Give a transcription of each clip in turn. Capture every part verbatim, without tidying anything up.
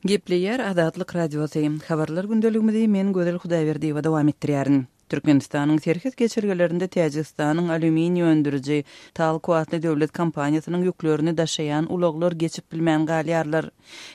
Gepleýär Azatlyk Radiosy. Habarlar gündeligimizi men Gözel Hudaýberdiýewa dowam etdirýärin. Türkmenistanyň serhet geçelgelerinde Täjigistanyň alýuminiý öndüriji Talko atly döwlet kompaniýasynyň ýüklerini daşaýan ulaglar geçip bilmän galýarlar.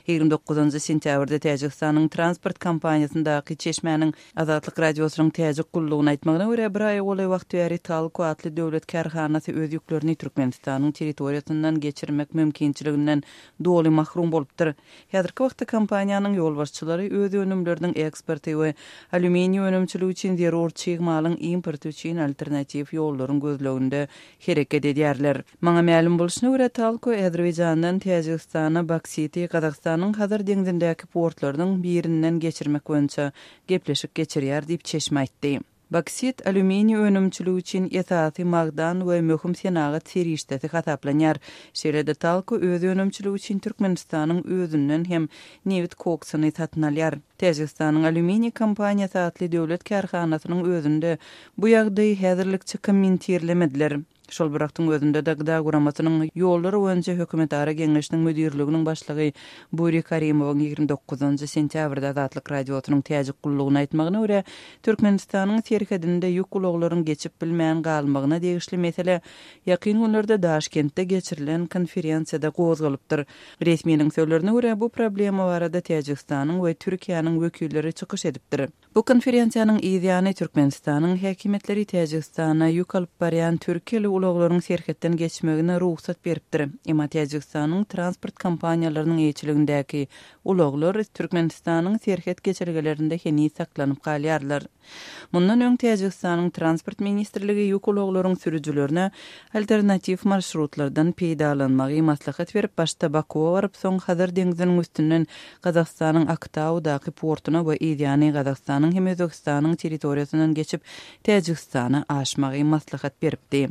Ýigrimi dokuzynjy sentýabrda Täjigistanyň transport kompaniýasyndaky çeşmäniň Azatlyk Radiosynyň täjik gullugyna aýtmagyna görä, bir aýa golaý wagt bäri Talko atly döwlet kärhanasy öz ýüklerini Türkmenistanyň territoriýasyndan geçirmek mümkinçiliginden doly mahrum bolupdyr. Häzirki wagtda kompaniýanyň ýolbaşçylary öz önümleriniň eksporty we alýuminiý önümçiligi üçin zerur çig malyň importy üçin alternatiw ýollaryň gözleginde hereket edýärler. Maňa mälim bolşuna görä, Talko Azerbaýjandan Täjigistana boksiti Gazagystanyň Hazar deňzindäki portlarynyň birinden geçirmek boýunça gepleşik geçirýär diýip çeşme aýtdy. Boksit alýuminiý önümçiligi üçin esasy magdan we möhüm senagat serişdesi hasaplanýar. Şeýle-de Talko öz önümçiligi üçin Türkmenistanyň özünden hem nebit koksuny satyn alýar. Täjigistanyň alýuminiý kompaniýasy atly döwlet kärhanasynyň özünde bu ýagdaýy häzirlikçe kommentirlemediler. Şol bir wagtyň özünde-de Gıda guramasynyň ýollar boýunça hökümetara geňeşiniň müdirliginiň başlygy Buri Karimowyň ýigrimi dokuzynjy sentýabrda Azatlyk Radiosynyň täjik gullugyna aýtmagyna görä, Türkmenistanyň serhedinde ýük ulaglaryň geçip bilmän galmagyna degişli mesele ýakyn günlerde Daşkentde geçirilen konferensiýada gozgalypdyr. Resminiň sözlerine görä, bu problema barada Täjigistanyň we Türkiýäniň wekilleri çykyş edipdir. Bu konferensiýanyň yzýany Türkmenistanyň häkimiýetleri Täjigistana ýük alyp barýan türkiýeli ulaglaryň serhetden geçmegine rugsat beripdir. Emma Täjigistanyň transport kompaniýalarynyň eýeçiligindäki ulaglar Türkmenistanyň serhet geçelgelerinde heniz saklanyp galýarlar. Mundan öň Täjigistanyň transport ministrligi ýük ulaglaryň sürüjilerine alternatiw marşrutlardan peýdalanmagy maslahat berip, başda Bakuwa baryp, soň Hazar deňziniň üstünden Gazagystanyň Aktaudaky portuna we yzýany Gazagystanyň hem Özbegistanyň territoriýasyndan geçip Täjigistana aşmagy maslahat beripdi.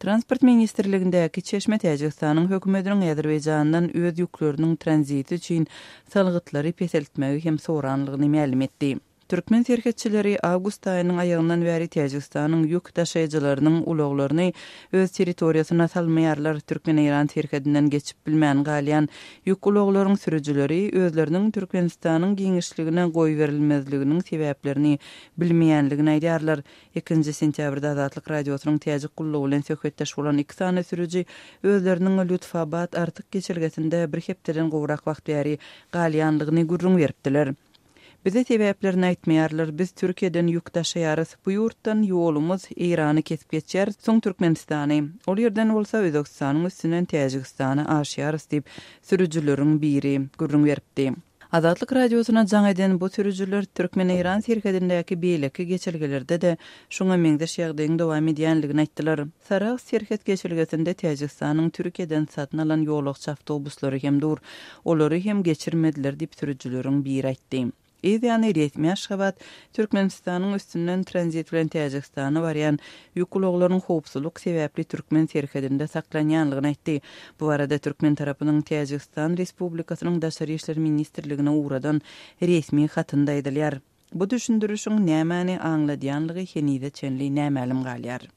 Transport ministrligindäki çeşme Täjigistanyň hökümetiniň Azerbaýjandan öz ýükleriniň tranziti üçin salgytlary peseltmegi hem soranlygyny mälim etdi. Türkmen serhetçileri awgust aýynyň aýagyndan bäri Täjigistanyň ýük daşaýjylarynyň ulaglaryny öz territoriýasyna salmaýarlar. Türkmen-Eýran serhedinden geçip bilmän galýan ýük ulaglaryň sürüjileri özleriniň Türkmenistanyň giňişligine goýberilmezliginiň sebäplerini bilmeýänligini aýdýarlar. Ikinji sentýabrda Azatlyk Radiosynyň täjik gullugy bilen söhbetdeş bolan iki sany sürüji özleriniň Lütfabad Artyk geçelgesinde bir hepdeden gowrak wagt bäri galýanlygyny gürrüň beripdiler. Bize sebäplerini aýtmaýarlar, biz Türkiýeden ýük daşaýarys, bu ýurtdan ýolumyz Eýrany kesip geçýär, soň Türkmenistany, ol ýerden bolsa Özbegistanyň üstünden Täjigistana aşýarys diýip, sürüjileriň biri gürrüň beripdi. Azatlyk Radiosyna jaň eden bu sürüjiler Türkmen-Eýran serhedindäki beýleki geçelgelerde-de şuňa meňzeş ýagdaýyň dowam edýänligini aýtdylar. Sarahs serhet geçelgesinde Täjigistanyň Türkiýeden satyn alan ýolagçy awtobuslary hem dur, olary hem geçirmediler diýip sürüjileriň biri aýtdy. Yzýany resmi Aşgabat Türkmenistanyň üstünden tranzit bilen Täjigistana barýan ýük ulaglaryň howpsuzlyk sebäpli türkmen serhedinde saklanýanlygyny aýtdy. Bu barada türkmen tarapynyň Täjigistan Respublikasynyň Daşary işler ministrligine ugradan resmi hatynda aýdylýar. Bu düşündirişiň nämäni aňladýanlygy henize çenli nämälim galýar.